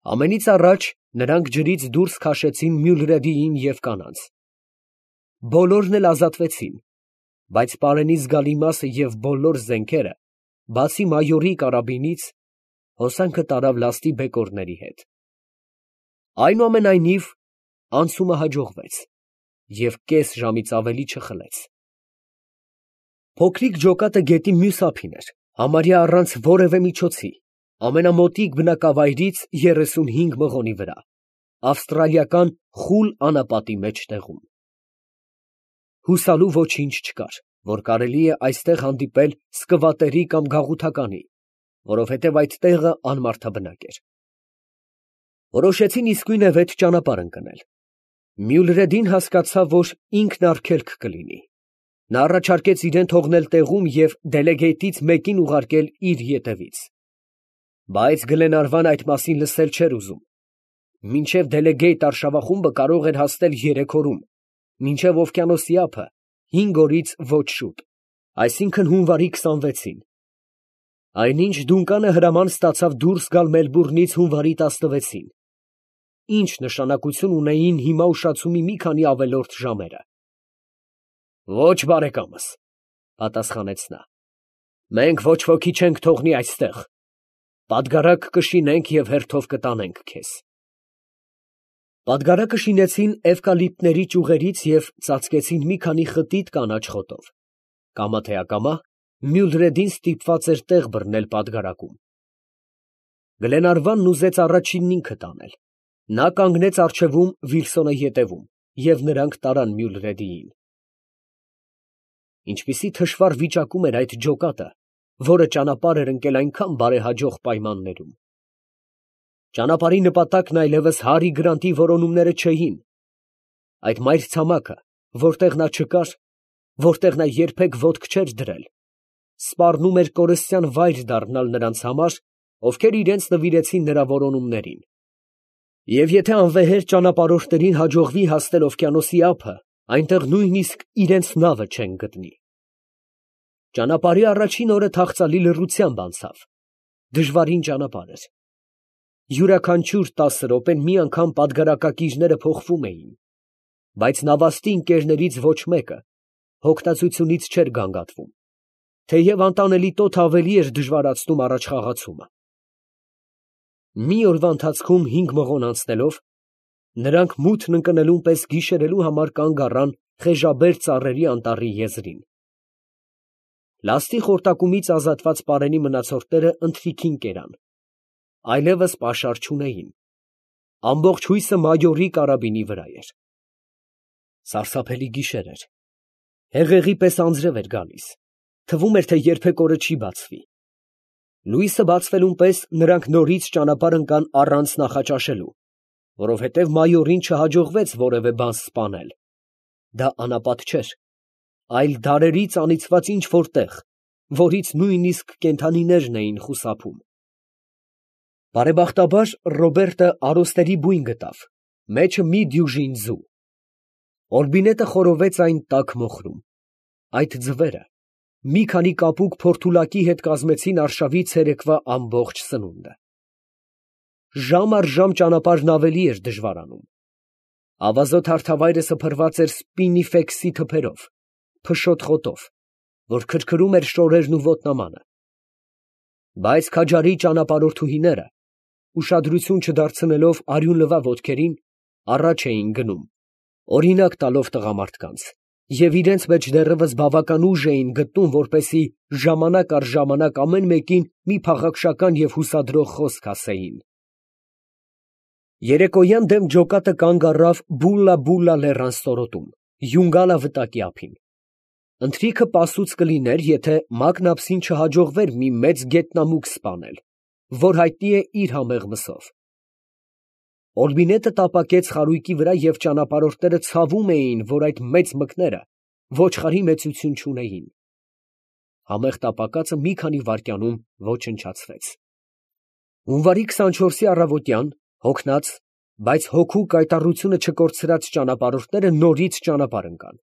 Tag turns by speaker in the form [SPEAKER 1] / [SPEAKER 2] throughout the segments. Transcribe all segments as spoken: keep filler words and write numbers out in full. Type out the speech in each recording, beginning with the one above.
[SPEAKER 1] Ամենից առաջ նրանք ջրից դուրս քաշեցին Մյուլրեդիին և կանանց. բոլորն էլ ազատվեցին, բայց պարենի զգալի մասը և բոլոր զենքերը, բացի մայորի կարաբինից, հոսանքը տարավ լաստի բեկորների հետ։ Այնուամենայնիվ, անցումը հաջողվեց և կես ժամից ավելի չխլեց։ Փոքրիկ ջոկատը գետի մյուս ափին էր, համարյա առանց որևէ միջոցի, ամենամոտիկ բնակավայրից երեսունհինգ մղոնի վրա, ավստրալիական խուլ անապատի մեջտեղում։ Հուսալու ոչինչ չկար, որ կարելի է այստեղ հանդիպել սկվատերի կամ գաղութականի, որովհետև այդ տեղը անմարդաբնակ էր։ Որոշեցին իսկույնևեթ ճանապարհ ընկնել։ Մյուլրեդին հասկացավ, որ ինքն արգելք կլինի։ Նա առաջարկեց իրեն թողնել տեղում և դելեգեյտից մեկին ուղարկել իր ետևից։ Բայց Գլենարվան այդ մասին լսել չէր ուզում։ Մինչև դելեգեյտ արշավախումբը կարող էր հասնել երեք օրում, մինչև օվկիանոսի ափը հինգ օրից ոչ շուտ, այսինքն՝ հունվարի քսանվեցին։ Այնինչ Դունկանը հրաման ստացավ դուրս գալ Մելբուրնից հունվարի տասնվեցին։ Ի՞նչ նշանակություն ունեին հիմա ուշացումի մի քանի ավելորդ ժամերը։ Ոչ, բարեկամս, պատասխանեց նա, մենք ոչ ոքի չենք թողնի այստեղ, պատգարակ կշինենք և հերթով կտանենք քեզ։ Պատգարակը շինեցին էվկալիպտների ճյուղերից և ծածկեցին մի քանի խտիտ կանաչ խոտով։ Կամա թե ակամա Մյուլրեդին ստիպված էր տեղ բռնել պատգարակում։ Գլենարվանն ուզեց առաջինն ինքը տանել։ Նա կանգնեց առջևում, Վիլսոնը ետևում, և նրանք տարան Մյուլրեդիին։ Ինչպիսի թշվառ վիճակում էր այդ ջոկատը, որը ճանապարհ էր ընկել այնքան բարեհաջող պայմաններում։ Ճանապարհի նպատակն այլևս Հարի Գրանտի որոնումները չէին։ Այդ մայրցամաքը, որտեղ նա չկար, որտեղ նա երբեք ոտք չէր դրել, սպառնում էր կորստյան վայր դառնալ նրանց համար, ովքեր իրենց նվիրեցին նրա որոնումներին։ Եվ եթե անվեհեր ճանապարհորդներին հաջողվի հասնել օվկիանոսի ափը, այնտեղ նույնիսկ իրենց նավը չեն գտնի։ Ճանապարհի առաջին օրը թախծալի լռությամբ անցավ։ Դժվարին ճանապարհ էր։ Յուրաքանչյուր տասը րոպեն մի անգամ պատգարակակիրները փոխվում էին, բայց նավաստի ընկերներից ոչ մեկը հոգնածությունից չէր գանգատվում, թեև անտանելի տոթը ավելի էր դժվարացնում առաջխաղացումը։ Մի օրվա ընթացքում հինգ մղոն անցնելով, նրանք մութն ընկնելուն պես գիշերելու համար կանգ առան խեժաբեր ծառերի անտառի եզրին։ Լաստի խորտակումից ազատված պարենի մնացորդները ընթրիքին կերան, այլևս պաշար չունեին։ Ամբողջ հույսը մայորի կարաբինի վրա էր։ Սարսափելի գիշեր էր։ Հեղեղի պես անձրև էր գալիս, թվում էր, թե երբեք օրը չի բացվի։ Լույսը բացվելուն պես նրանք նորից ճանապարհ ընկան առանց նախաճաշելու, որովհետև մայորին չհաջողվեց որևէ բան սպանել։ Դա անապատ չէր, այլ դարերից անիծված ինչ֊որ տեղ, որից նույնիսկ կենդանիներն էին խուսափում։ Բարեբախտաբար Ռոբերտը արոսների բույն գտավ, մեջը մի դյուժին ձու։ Օրբինետը խորովեց այն տաք մոխրում։ Այդ ձվերը մի քանի կապուկ փորթուլակի հետ կազմեցին արշավի ցերեկվա ամբողջ սնունդը։ Ժամ առ ժամ ճանապարհն ավելի էր դժվարանում։ Ավազոտ հարթավայրը սփռված էր սպինիֆեքսի թփերով, փշոտ խոտով, որ քրքրում էր շորերն ու ոտնամանը։ Բայց քաջարի ճանապարհորդուհիները, ուշադրություն չդարձնելով արյունլվա ոտքերին, առաջ էին գնում, օրինակ տալով տղամարդկանց, և իրենց մեջ դեռևս բավական ուժ էին գտնում, որպեսզի ժամանակ առ ժամանակ ամեն մեկին մի փաղաքշական և հուսադրող խոսք ասեին։ Երեկոյան դեմ ջոկատը կանգ առավ Բուլլա֊Բուլլա լեռան ստորոտում, Յունգալա վտակի ափին։ Ընթրիքը պասուց կլիներ, եթե Մակնապսին չհաջողվեր մի մեծ գետնամուկ սպանել, որ հայտնի է իր համեղ մսով։ Օրբինետը տապակեց խարույկի վրա և ճանապարհորդները ցավում էին, որ այդ մեծ մկները ոչխարի մեծություն չունեին։ Համեղ տապակածը մի քանի վայրկյանում ոչնչացվեց։ Հունվարի քսանչորսի առավոտյան հոգնած, բայց հոգու կայտառությունը չկորցրած ճանապարհորդները նորից ճանապարհ ընկան։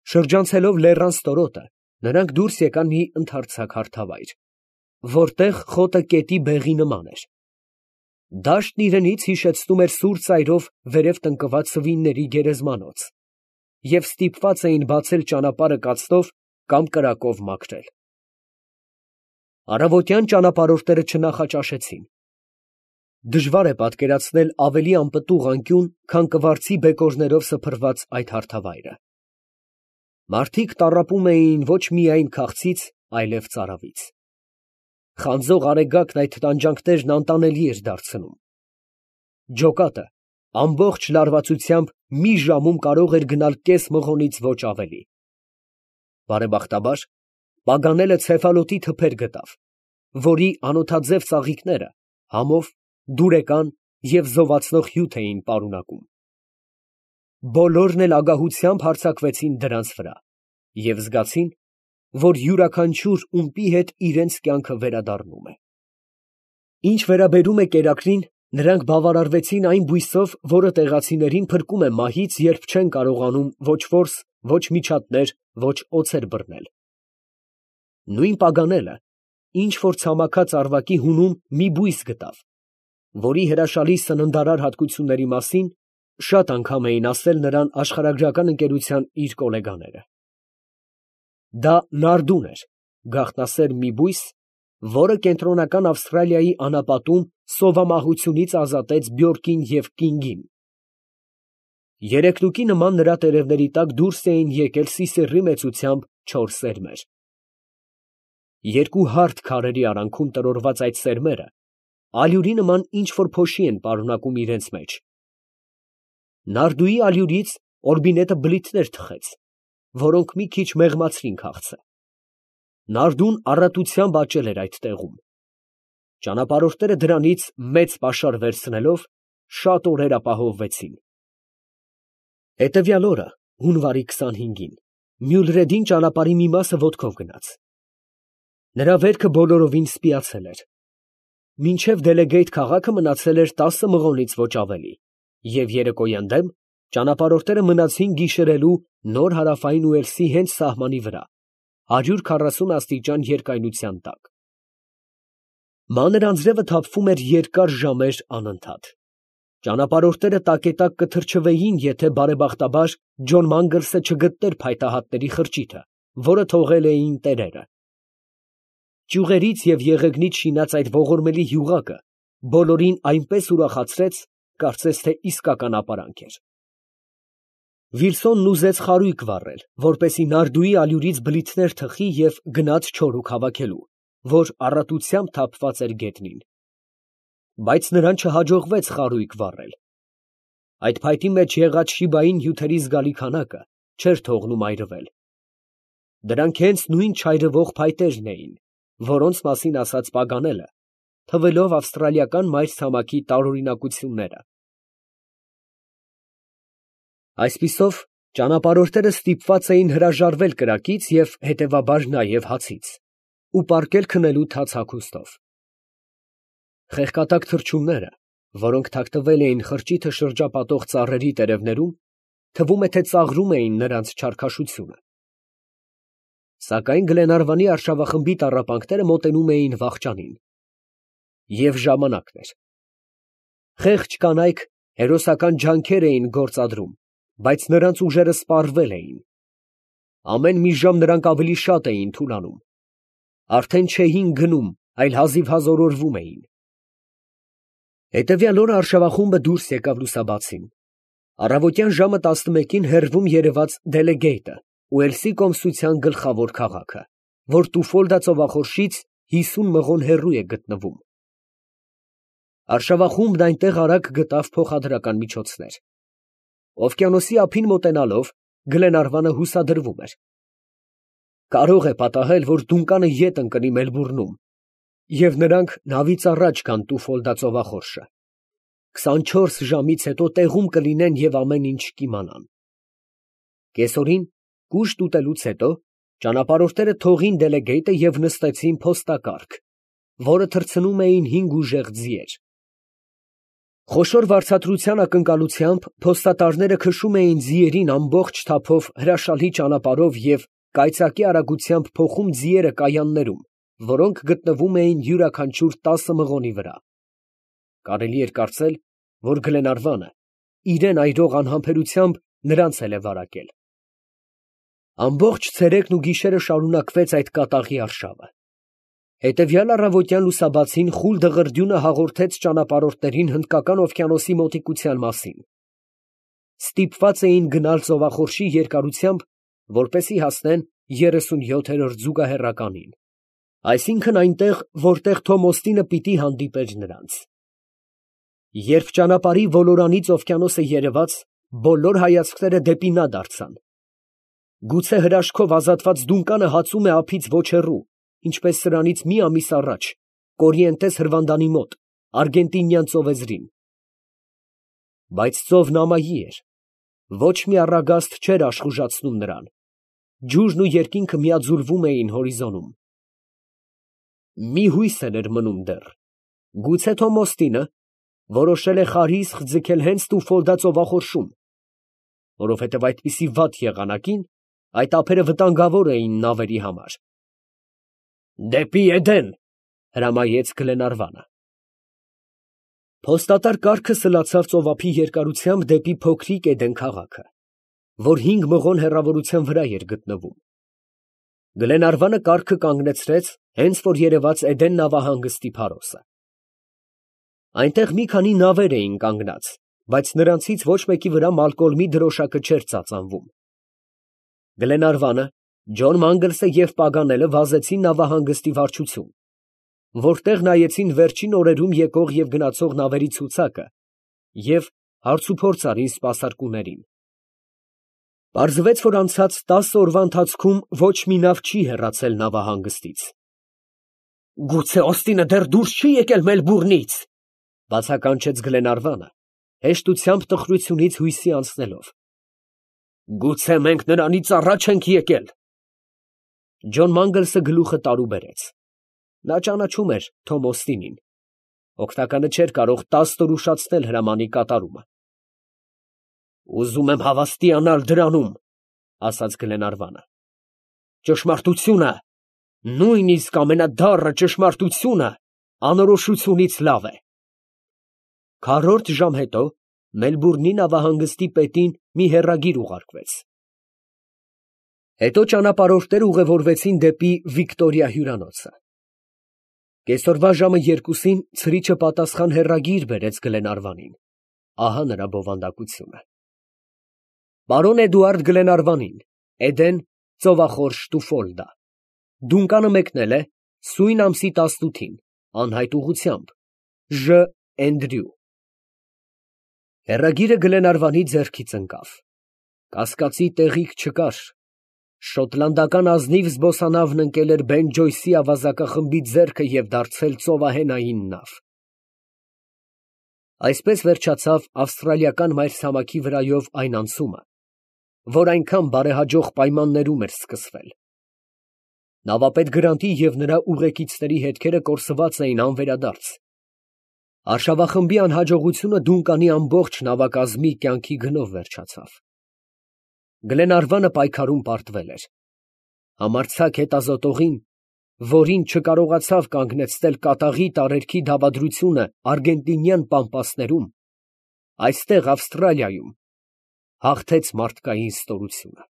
[SPEAKER 1] Շրջանցելով լեռան ստորոտը, նրանք դուրս եկան մի ընդարձակ հարթավայր, որտեղ խոտը կետի բեղի նման էր։ Դաշտն իրենից հիշեցնում էր սուր ծայրով վերև տնկված սվինների գերեզմանոց, և ստիպված էին բացել ճանապարհը կացնով կամ կրակով մաքրել։ Առավոտյան ճանապարհորդները չնախաճաշեցին։ Դժվար է պատկերացնել ավելի անպտուղ անկյուն, քան կվարձի բեկորներով սփռված այդ հարթավայրը։ Մարդիկ տառապում էին ոչ միայն քաղցից, այլև ծարավից։ Խանձող արեգակն այդ տանջանքներն անտանելի էր դարձնում։ Ջոկատը ամբողջ լարվածությամբ մի ժամում կարող էր գնալ կես մղոնից ոչ ավելի։ Բարեբախտաբար, Պագանելը ցեֆալոտի թփեր գտավ, որի անոթաձև ծաղիկները համով, դուրեկան և զովացնող հյութ էին պարունակում։ Բոլորն էլ ագահությամբ հարձակվեցին դրանց վրա և զգացին, որ յուրաքանչյուր ումպի հետ իրենց կյանքը վերադառնում է։ Ինչ վերաբերում է կերակրին, նրանք բավարարվեցին այն բույսով, որը տեղացիներին փրկում է մահից, երբ չեն կարողանում ոչ որս, ոչ միջատներ, ոչ օձեր բռնել։ Նույն Պագանելը ինչ֊որ ցամաքած ավարակի հունում մի բույս գտավ, որի հրաշալի սննդարար հատկությունների մասին շատ անգամ էին ասել նրան աշխարհագրական ընկերության իր գոլեգաները։ Դա նարդուն էր, գաղտնասեր մի բույս, որը կենտրոնական Ավստրալիայի անապատում սովամահությունից ազատեց Բյորկին և Կինգին։ Երեկնուկի նման նրա տերևների տակ դուրս էին եկել սիսեռի մեծությամբ չորս սերմեր։ Երկու հարթ քարերի արանքում տրորված այդ սերմերը ալյուրի նման ինչ֊որ փոշի են պարունակում իրենց մեջ։ Նարդուի ալյուրից օրբինետը բլիթներ թխեց, որոնք մի քիչ մեղմացրին քաղցը։ Նարդուն առատությամբ աճել էր այդ տեղում։ Ճանապարհորդները դրանից մեծ պաշար վերցնելով, շատ օրեր ապահովվեցին։ Հետևյալ օրը, հունվարի քսանհինգին, Մյուլրեդին ճանապարհի մի մասը ոտքով գնաց։ Նրա վերքը բոլորովին սպիացել էր։ Մինչև Դելեգեյթ քաղաքը մնացել էր տասը մղոնից ոչ ավելի, և երեկոյան դեմ ճանապարհորդները մնացին գիշերելու Նոր Հարավային Ուելսի հենց սահմանի վրա, հարյուր քառասուն աստիճան երկայնության տակ։ Մանր անձրևը թափվում էր երկար ժամեր անընդհատ։ Ճանապարհորդները տակետակ կթրջվեին, եթե բարեբախտաբար Ջոն Մանգլսը չգտներ փայտահատների խրճիթը, որը թողել էին տերերը։ Ճյուղերից և եղեգնից շինած այդ ողորմելի յուղակը բոլորին այնպես ուրախացրեց, կարծես թե իսկական ապարանք էր։ Վիլսոնն ուզեց խարույկ վառել, որպեսզի նարդուի ալյուրից բլիթներ թխի և գնաց չորուք հավաքելու, որ առատությամբ թափված էր գետնին։ Բայց նրան չհաջողվեց խարույկ վառել։ Այդ փայտի մեջ եղած շիբային հյութերի զգալի քանակը չէր թողնում այրվել։ Դրանք հենց նույն չայրվող փայտերն էին, որոնց մասին ասաց Պագանելը, թվելով ավստրալիական մայրցամաքի տարօրինակությունները։ Այսպիսով, ճանապարհորդները ստիպված էին հրաժարվել կրակից և հետևաբար նաև հացից ու պառկել քնելու թաց հագուստով։ Խեղկատակ թռչունները, որոնք թաքնվել էին խրճիթը շրջապատող ծառերի տերևներում, թվում է, թե ծաղրում էին նրանց չարքաշությունը։ Սակայն Գլենարվանի արշավախմբի տառապանքները մոտենում էին վախճանին։ Եվ ժամանակն էր։ Խեղճ կանայք հերոսական ջանքեր էին գործադրում, բայց նրանց ուժերը սպառվել էին։ Ամեն մի ժամ նրանք ավելի շատ էին թուլանում։ Արդեն չէին գնում, այլ հազիվհազ օրորվում էին։ Հետևյալ օրը արշավախումբը դուրս եկավ լուսաբացին։ Առավոտյան ժամը տասնմեկին հեռվում երևաց Դելեգեյթը, Ուելսի կոմսության գլխավոր քաղաքը, որ Տուֆոլդա ծովախորշից հիսուն մղոն հեռու է գտնվում։ Արշավախումբն այնտեղ արագ գտավ փոխադրական միջոցներ։ Օվկիանոսի ափին մոտենալով, Գլենարվանը հուսադրվում էր։ Կարող է պատահել, որ դունկանը ետ ընկնի Մելբուրնում, և նրանք նավից առաջ գան Տուֆոլդա ծովախորշը։ քսանչորս ժամից հետո տեղում կլինեն և ամեն ինչ կիմանան։ Կեսօրին, կուշտ ուտելուց հետո, ճանապարհորդները թողին Դելեգեյթը և նստեցին փոստակառք, որը թռցնում էին հինգ ուժեղ ձիեր։ Խոշոր վարձատրության ակնկալությամբ փոստատարները քշում էին ձիերին ամբողջ թափով հրաշալի ճանապարհով և կայծակի արագությամբ փոխում ձիերը կայաններում, որոնք գտնվում էին յուրաքանչյուր տասը մղոնի վրա։ կարելի էր կարծել, որ Գլենարվանը իրեն այրող անհամբերությամբ նրանց էլ է վարակել։ Ամբողջ ցերեկն ու գիշերը շարունակվեց այդ կատաղի արշավը։ Հետևյալ առավոտյան լուսաբացին խուլ դղրդյունը հաղորդեց ճանապարհորդներին Հնդկական օվկիանոսի մոտիկության մասին։ Ստիպված էին գնալ ծովախորշի երկարությամբ, որպեսզի հասնեն երեսունյոթերորդ զուգահեռականին, այսինքն այնտեղ, որտեղ Թոմ Օստինը պիտի հանդիպեր նրանց։ Երբ ճանապարհի ոլորանից օվկիանոսը երևաց, բոլոր հայացքները դեպի նա դարձան։ Գուցե հրաշքով ազատված դունկանը հացում է ափից ոչ հեռու, ինչպես սրանից մի ամիս առաջ Կորիենտես հրվանդանի մոտ, Արգենտինյան ծովեզրին։ Բայց ծովն ամայի էր, ոչ մի առագաստ չէր աշխուժացնում նրան, ջուրն ու երկինքը միաձուլվում էին հորիզոնում։ Մի հույս էր մնում դեռ, գուցե Թոմ Օստինը որոշել է խարիսխ ձգել հենց Տուֆոլդա ծովախորշում, որովհետև այդպիսի վատ եղանակին այդ ափերը վտանգավոր էին նավերի համար։ «Դեպի Էդեն», հրամայեց Գլենարվանը։ Փոստատար կառքը սլացավ ծովափի երկարությամբ դեպի փոքրիկ Էդեն քաղաքը, որ հինգ մղոն հեռավորության վրա էր գտնվում։ Գլենարվանը կառքը կանգնեցրեց, հենց որ երևաց Էդեն նավահանգստի փարոսը։ Այնտեղ մի քանի նավեր էին կանգնած, բայց նրանցից ոչ մեկի վրա մալկոլմի դրոշակը չէր ծածանվում։ Գլենարվանը, Ջոն Մանգլսը և Պագանելը վազեցին նավահանգստի վարչություն, որտեղ նայեցին վերջին օրերում եկող և գնացող նավերի ցուցակը և հարցուփորձ արին սպասարկուներին։ Պարզվեց, որ անցած տասը օրվա ընթացքում ոչ մի նավ չի հեռացել նավահանգստից։ «Գուցե Օստինը դեռ դուրս չի եկել Մելբուրնից», բացականչեց Գլենարվանը, հեշտությամբ տխրությունից հույսի անցնելով։ «Գուցե մենք նրանից առաջ ենք եկել»։ Ջոն Մանգլսը գլուխը տարուբերեց։ Նա ճանաչում էր Թոմ Օստինին։ Օգնականը չէր կարող տասը օր ուշացնել հրամանի կատարումը։ «Ուզում եմ հավաստիանալ դրանում», ասաց Գլենարվանը։ «Ճշմարտությունը, նույնիսկ ամենադառը ճշմարտությունը անորոշությունից լավ է»։ Քառորդ ժամ հետո Մելբուրնի նավահանգստի պետին մի հեռագիր ուղարկվեց։ Հետո ճանապարհորդները ուղևորվեցին դեպի Վիկտորիա հյուրանոցը։ Կեսօրվա ժամը երկուսին ցրիչը պատասխան հեռագիր բերեց Գլենարվանին։ Ահա նրա բովանդակությունը. Պարոն Էդուարդ Գլենարվանին, Էդեն, ծովախորշ Տուֆոլդա։ Դունկանը մեկնել է սույն ամսի տասնութին, անհայտ ուղղությամբ, Ժ. Էնդրյու։ Հեռագիրը Գլենարվանի ձեռքից ընկավ։ Կասկածի տեղիք չկար։ Շոտլանդական ազնիվ զբոսանավն ընկել էր Բեն Ջոյսի ավազակախմբի ձեռքը և դարձել ծովահենային նավ։ Այսպես վերջացավ ավստրալիական մայրցամաքի վրայով այն անցումը, որ այնքան բարեհաջող պայմաններում էր սկսվել։ Նավապետ Գրանտի և նրա ուղեկիցների հետքերը կորսված էին անվերադարձ։ Արշավախմբի անհաջողությունը Դունկանի ամբողջ նավակազմի կյանքի գնով վերջացավ։ Գլենարվանը պայքարում պարտվել էր։ Համարձակ հետազոտողին, որին չկարողացավ կանգնեցնել կատաղի տարերքի դավադրությունը արգենտինյան պամպասներում, այստեղ Ավստրալիայում հաղթեց մարդկային ստորությունը։